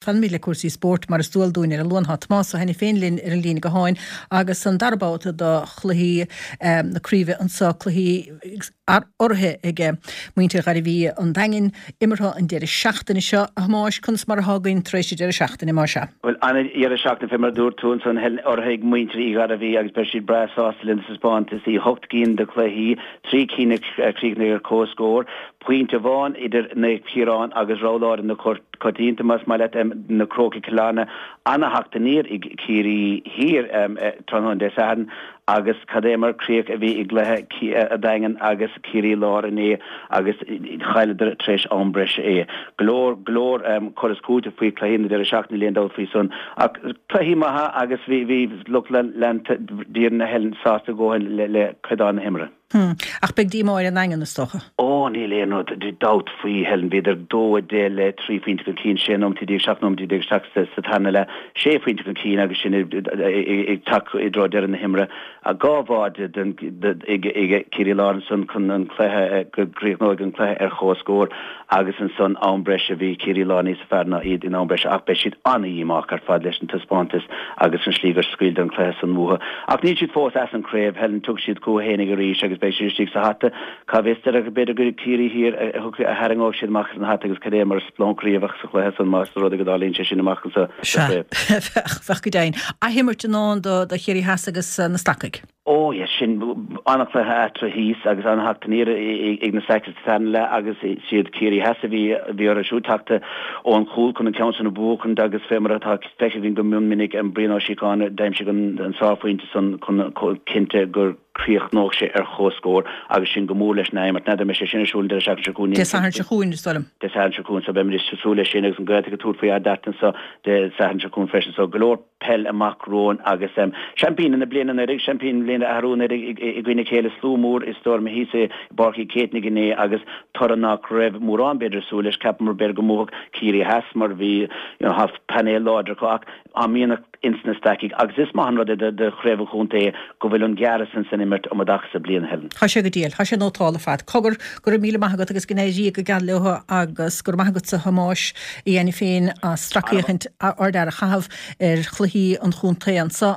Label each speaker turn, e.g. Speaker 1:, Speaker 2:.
Speaker 1: Fanfaimid le cúrsaí spóirt mar is dual dúinn ar an Luan. Tá Tomás Ó hAiniféin linn ar an líne gutháin agus an dara babhta do chluichí na craoibhe anseo, cluichí urraithe ag muintir Ghairbhí an Daingin, imeartha an deireadh seachtaine seo. A Thomáis, conas mar atá againn tar éis an deireadh seachtaine, más ea?
Speaker 2: Bhuel, an-dheireadh seachtaine fé mar a dúirt tú ansan, Helen, urraithe ag muintir Uí Ghairbhí agus beidh siad breá sásta lena dtaispeántas. 8 gcinn de chluichí, 3 cinn a chríochnaigh ar comhscór. Pointe amháin idir Naomh Ciarán agus rogha láidir na coitianta, más maith leat, na Crócaigh Cill Airne, ana-theacht aniar ag Ciarraí Thiar tráthnóna Dé Sathairn agus cad é mar críoch a bhí i gcluiche an Daingin agus Ciarraí Láir inné agus chailleadar tar éis am breise é. Go leor, go leor cur is cúiteamh faoi chluichí na deireadh seachtaine, níl aon dabht faoi san ach cluichí maithe agus bhí lucht leanta d'fhoireann na Helen sásta a dhóthain le caighdeán na himeartha.
Speaker 1: Hm. Ach beidh díomá ar an nDaingean, is dócha.
Speaker 2: Ó, níl aon rud, dabht faoi, Helen. Bhíodar 2-10 le 3 phointe chun cinn, 16 nóimeataí, 17 nóimeataí isteach sa tarna leath, 6 phointe chun cinn agus sin ag teacht i dtreo deireadh na himeartha. Dhá bháide ag Ciarraí Láir ansan chun an cluiche, go gcríochnóidh an cluiche ar chomhscór agus ansan am breise, bhí Ciarraí Láir níos fearr ná iad in am breise ach beidh siad an-dhíomách ar fad leis an taispeántas agus an slí gur scaoileadar an cluiche san uathu. Ach níl siad fós as an chraobh, Helen, tiocfaidh siad chucu fhéinig arís agus beidh siad istigh sa hata. Cá bhfios, b'fhéidir gur Ciarraí Thiar a tharraingeoidh siad amach as an hata agus cad é mar splóncairí a bheadh sa chluiche san más rud é go dtarlaíonn sé sin amach anseo sa
Speaker 1: Sea,
Speaker 2: chraobh.
Speaker 1: bheadh, bheadh go deimhin. Athimirt i ndán do Chiarraí Theas agus na Stacaigh.
Speaker 2: Ó yes, sin an-chluiche eatarthu thíos agus an-theacht aniar ag na Stacaigh sa tarna leath agus is iad Ciarraí Theas a bhí bhí orthu siúd teacht ón chúl chun an ceann sin a bhuachaint agus fé mar atá feicthe againn go mion minic Brian Ó Síocháin d'aimsigh an sárphointe san chun cinnte go gcríochnódh sé ar chomhscór agus sin go mór leis an athimirt. N'fheadar an mbeidh sé sin ar siúl an deireadh seachtaine seo chugainn.
Speaker 1: Dé Sathairn seo chugainn, is dóigh liom.
Speaker 2: Dé Sathairn seo chugainn so beimid ag súil leis sin agus an Ghaeltacht ag tabhairt faoi Ard Airt anso Dé Sathairn seo chugainn freisin so go leor peil amach romhainn agus seaimpíní na bliana anuraidh, seaimpín na bliana arú anuraidh i gcoinne a chéile, slua mór i stoirm thíos i bPáirc Uí Chéitnigh inné agus toradh nach raibh mórán b'fhéidir ag súil leis. Cheapamar b'fhéidir go mbuafadh Ciarraí Theas mar bhí you know tá painéal láidir acu ach tá mianach ins na Stacaigh agus is maith an rud é do chraobh an chontae go bhfuil an gearradh san san imirt um an dtaca sa bliain, Helen.
Speaker 1: Tá sé go diail. Tá sé nótálta ar fad. Cogar, go raibh míle maith agat agus go n-éirí go geal leo agus go raibh maith agatsa a Thomáis Uí Ainiféin as sracfhéachaint ár a chaitheamh ar chluichí an chontae anso.